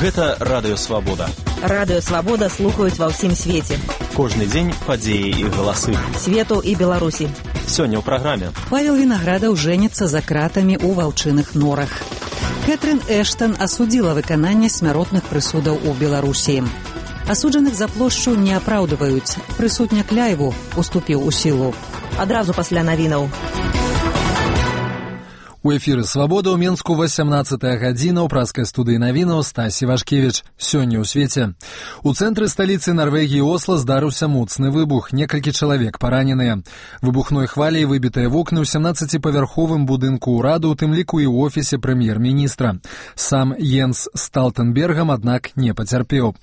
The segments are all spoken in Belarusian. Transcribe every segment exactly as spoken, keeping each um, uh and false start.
Гэта Радыё Свабода. Радыё Свабода слухаюць ва ўсім свеце. Кожны дзень падзеі і галасы. Свету і Беларусі. Сёння ў праграме. Павел Вінаградаў жэніцца за кратамі ў ваўчыных норах. Кэтрын Эштан асудзіла выкананне смяротных прысудаў у Беларусі. Асуджаных за плошчу не апраўдваюць. Прысудняк Ляйву уступіў у сілу. Адразу пасля навінаў. У эфіры «Свабода» ў Менску васямнаццатая гадзіна ў праскай студыі навінаў Стасі Вашкевіч. Сёння ў свеце. У цэнтры сталіцы Нарвегіі Осла здарыўся моцны выбух. Некалькі чалавек параненыя. Выбухной хваляй выбітыя вокны ў сямнаццаціпавярховым будынку ўраду, у тым ліку і ў офісе прэм'ер-міністра. Сам Йенс Сталтенбергам, аднак, не пацярпеў.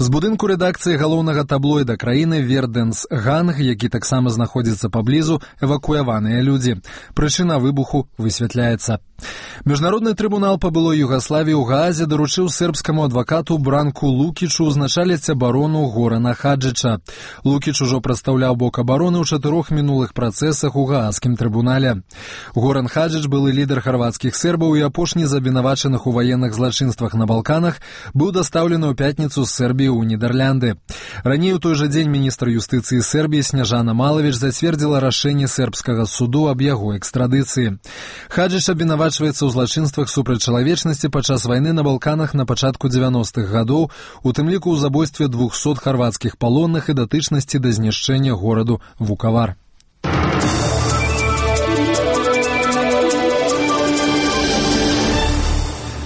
З будынку рэдакцыі галоўнага таблоіда краіны «Верденс Ганг», які таксама знаходзіцца паблізу, эвакуяваныя людзі. Прычына выбуху высвятляецца. Міжнародны трыбунал па былой Югаславіі ў Гаазе даручыў сербскаму адвакату Бранку Лукічу узначаліць абарону Горана Хаджыча. Лукіч ужо прадстаўляў бок абароны ў чатырох мінулых працэсах у Гааскім трыбунале. Горан Хаджыч, былы лідар харвацкіх сербаў і апошні з абвінавачаных у ваенных злачынствах на Балканах, быў дастаўлены ў пятніцу з Сербіі ў Нідерлянды. Раней у той жа дзень міністр юстыцыі Сербіі Сняжана Малавіч зацвердзіла рашэнне сербскага суду аб яго экстрадыцыі. Хаджыч абвінавачваецца ў злачынствах супраць чалавечнасці падчас вайны на Балканах на пачатку дзевяностых гадоў, у тым ліку ў забойстве двухсот харвацкіх палонных і датычнасці да знішчэння гораду Вукавар.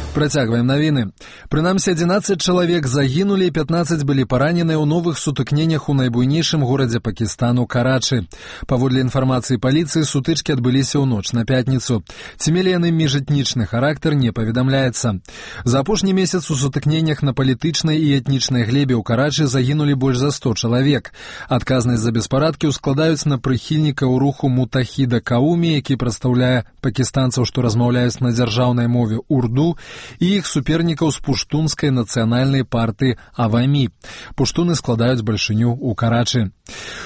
Працягваем навіны. Прынамсі, адзінаццаць чалавек загінулі і пятнаццаць былі параненыя ў новых сутыкненнях у найбуйнейшым горадзе Пакістану Карачы. Паводле інфармацыі паліцыі, сутычкі адбыліся ў ноч на пятніцу. Ці мелі яны міжэтнічны характар, не паведамляецца. За апошні месяц у сутыкненнях на палітычнай і этнічнай глебе ў Карачы загінулі больш за сто чалавек. Адказнасць за беспарадкі ўскладаюць на прыхільнікаў руху Мутахіда Кауми, які прадстаўляе пакістанцаў, што размаўляюць на дзяржаўнай мове урду, і іх супернікаў з пуштунскай нацыянальнай партыі Авамі. Пуштуны складаюць бальшыню ў Карачы.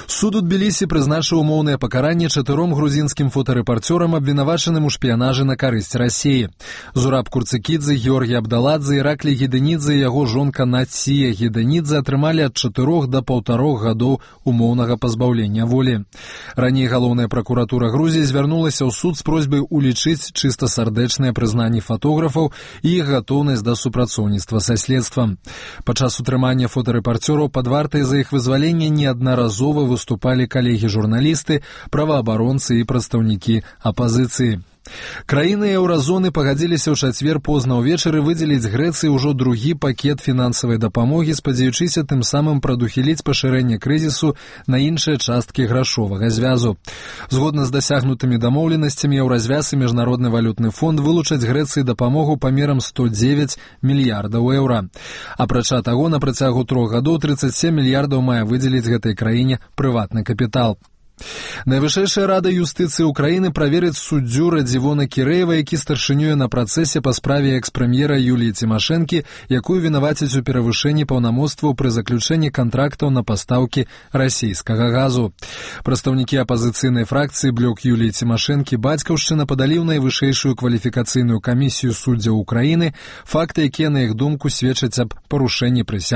Суд у Тбілісі прызначыў умоўнае пакаранне чатыром грузінскім фотарэпарцёрам, абвінавачаным у шпіянажы на карысць Расіі. Зураб Курцыкідзе, Георгій Абдаладзе, Іраклі Гедэнідзе і яго жонка Нація Гедэнідзе атрымалі ад чатырох да паўтарох гадоў умоўнага пазбаўлення волі. Раней галоўная пракуратура Грузіі звярнулася ў суд з просьбай улічыць чыста сардэчныя прызнанні фотографаў і іх гатоўнасць да супрацоўніцтва са следствам. Падчас утрымання фотарэпарцёраў пад вартай за іх вызваленне неаднаразова выступалі калегі-журналісты, праваабаронцы і прадстаўнікі апазіцыі. Краіны еўразоны пагадзіліся ў чацвер позна ўвечары выдзеліць Грэцыі ўжо другі пакет фінансавай дапамогі, спадзяючыся тым самым прадухіліць пашырэнне крызісу на іншыя часткі грашовага звязу. Згодна з дасягнутымі дамоўленасцямі, еўразвяз і Міжнародны валютны фонд вылучаць Грэцыі дапамогу памерам сто дзевяць мільярдаў еўра. Апрача таго, на працягу трох гадоў трыццаць сем мільярдаў мае выдзеліць гэтай краіне прыватны капітал. Найвышэйшая рада юстыцыі ўкраіны праверыць суддзю Радзівона Кірэева, які старшынюе на працэсе па справе экс-прэм'ера Юліі Цімашэнкі, якую вінавацяць у перавышэнні паўнамоцтваў пры заключэнні кантрактаў на пастаўкі расійскага газу. Прадстаўнікі апазіцыйнай фракцыі «Блок» Юліі Цімашэнкі «Бацькаўшчына» падалі ў найвышэйшую кваліфікацыйную камісію суддзяў Украіны факты, якія, на іх думку, сведчаць аб парушэнні прысягі